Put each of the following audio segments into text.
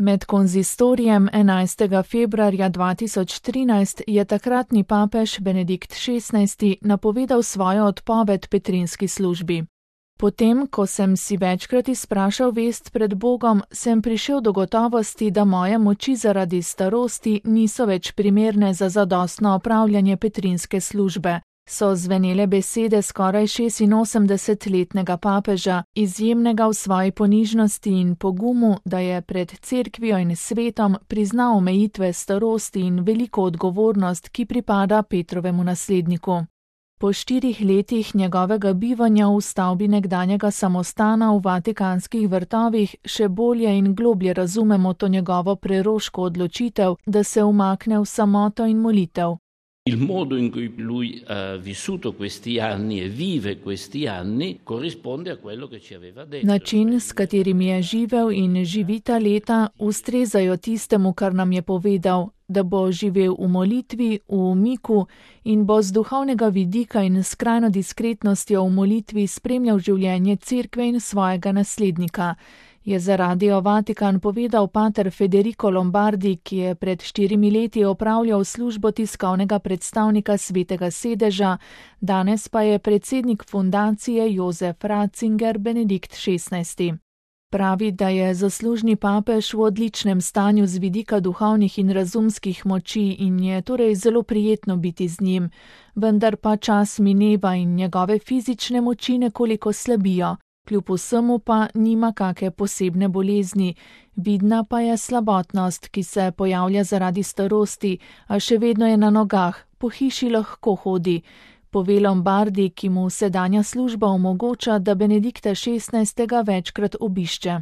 Med konzistorijem 11. februarja 2013 je takratni papež Benedikt XVI napovedal svojo odpoved petrinski službi. Potem, ko sem si večkrat izprašal vest pred Bogom, sem prišel do gotovosti, da moje moči zaradi starosti niso več primerne za zadostno opravljanje petrinske službe, so zvenele besede skoraj 86-letnega papeža, izjemnega v svoji ponižnosti in pogumu, da je pred cerkvijo in svetom priznal omejitve starosti in veliko odgovornost, ki pripada Petrovemu nasledniku. Po 4 letih njegovega bivanja v stavbi nekdanjega samostana v Vatikanskih vrtovih še bolje in globlje razumemo to njegovo preroško odločitev, da se umakne v samoto in molitev. Il modo in cui lui ha vissuto questi anni e vive questi anni corrisponde a quello che ci aveva detto. Način, s katerim je živel in živi ta leta, ustrezajo tistemu, kar nam je povedal, da bo živel v molitvi, v umiku in bo z duhovnega vidika in skrajno diskretnostjo v molitvi spremljal življenje cerkve in svojega naslednika, je za Radio Vatikan povedal pater Federico Lombardi, ki je pred 4 leti opravljal službo tiskovnega predstavnika Svetega sedeža, danes pa je predsednik fundacije Josef Ratzinger Benedikt XVI. Pravi, da je zaslužni papež v odličnem stanju z vidika duhovnih in razumskih moči in je torej zelo prijetno biti z njim, vendar pa čas mineva in njegove fizične moči nekoliko slabijo. Kljub vsemu pa nima kake posebne bolezni, vidna pa je slabotnost, ki se pojavlja zaradi starosti, a še vedno je na nogah, po hiši lahko hodi, pove Lombardi, ki mu sedanja služba omogoča, da Benedikta XVI. Večkrat obišče.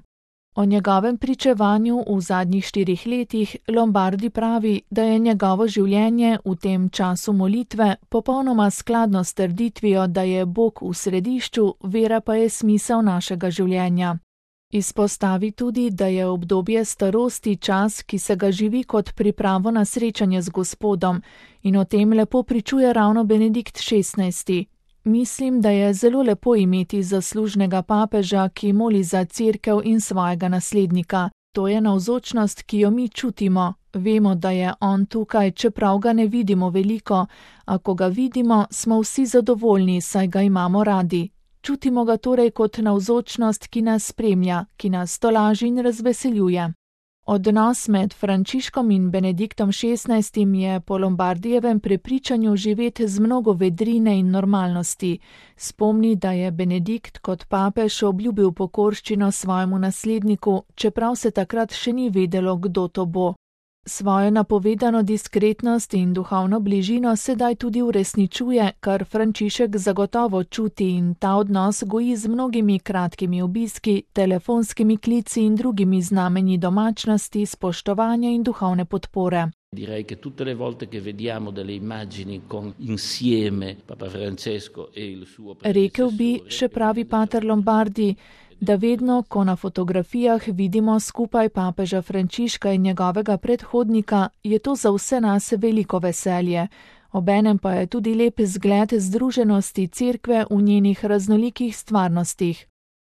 O njegovem pričevanju v zadnjih 4 letih Lombardi pravi, da je njegovo življenje v tem času molitve popolnoma skladno s trditvijo, da je Bog v središču, vera pa je smisel našega življenja. Izpostavi tudi, da je obdobje starosti čas, ki se ga živi kot pripravo na srečanje z Gospodom, in o tem lepo pričuje ravno Benedikt XVI. Mislim, da je zelo lepo imeti zaslužnega papeža, ki moli za cerkev in svojega naslednika. To je navzočnost, ki jo mi čutimo. Vemo, da je on tukaj, čeprav ga ne vidimo veliko, a ko ga vidimo, smo vsi zadovoljni, saj ga imamo radi. Čutimo ga torej kot navzočnost, ki nas spremlja, ki nas tolaži in razveseljuje. Odnos med Frančiškom in Benediktom XVI. Je po Lombardijevem prepričanju živet z mnogo vedrine in normalnosti. Spomni, da je Benedikt kot papež obljubil pokorščino svojemu nasledniku, čeprav se takrat še ni vedelo, kdo to bo. Svojo napovedano diskretnost in duhovno bližino sedaj tudi uresničuje, kar Frančišek zagotovo čuti in ta odnos goji z mnogimi kratkimi obiski, telefonskimi klici in drugimi znamenji domačnosti, spoštovanja in duhovne podpore. Direi che tutte le volte che vediamo delle immagini con insieme Papa Francesco e il suo Rekel bi, še pravi pater Lombardi, da vedno, ko na fotografijah vidimo skupaj papeža Frančiška in njegovega predhodnika, je to za vse nas veliko veselje. Obenem pa je tudi lep zgled združenosti cerkve v njenih raznolikih stvarnostih.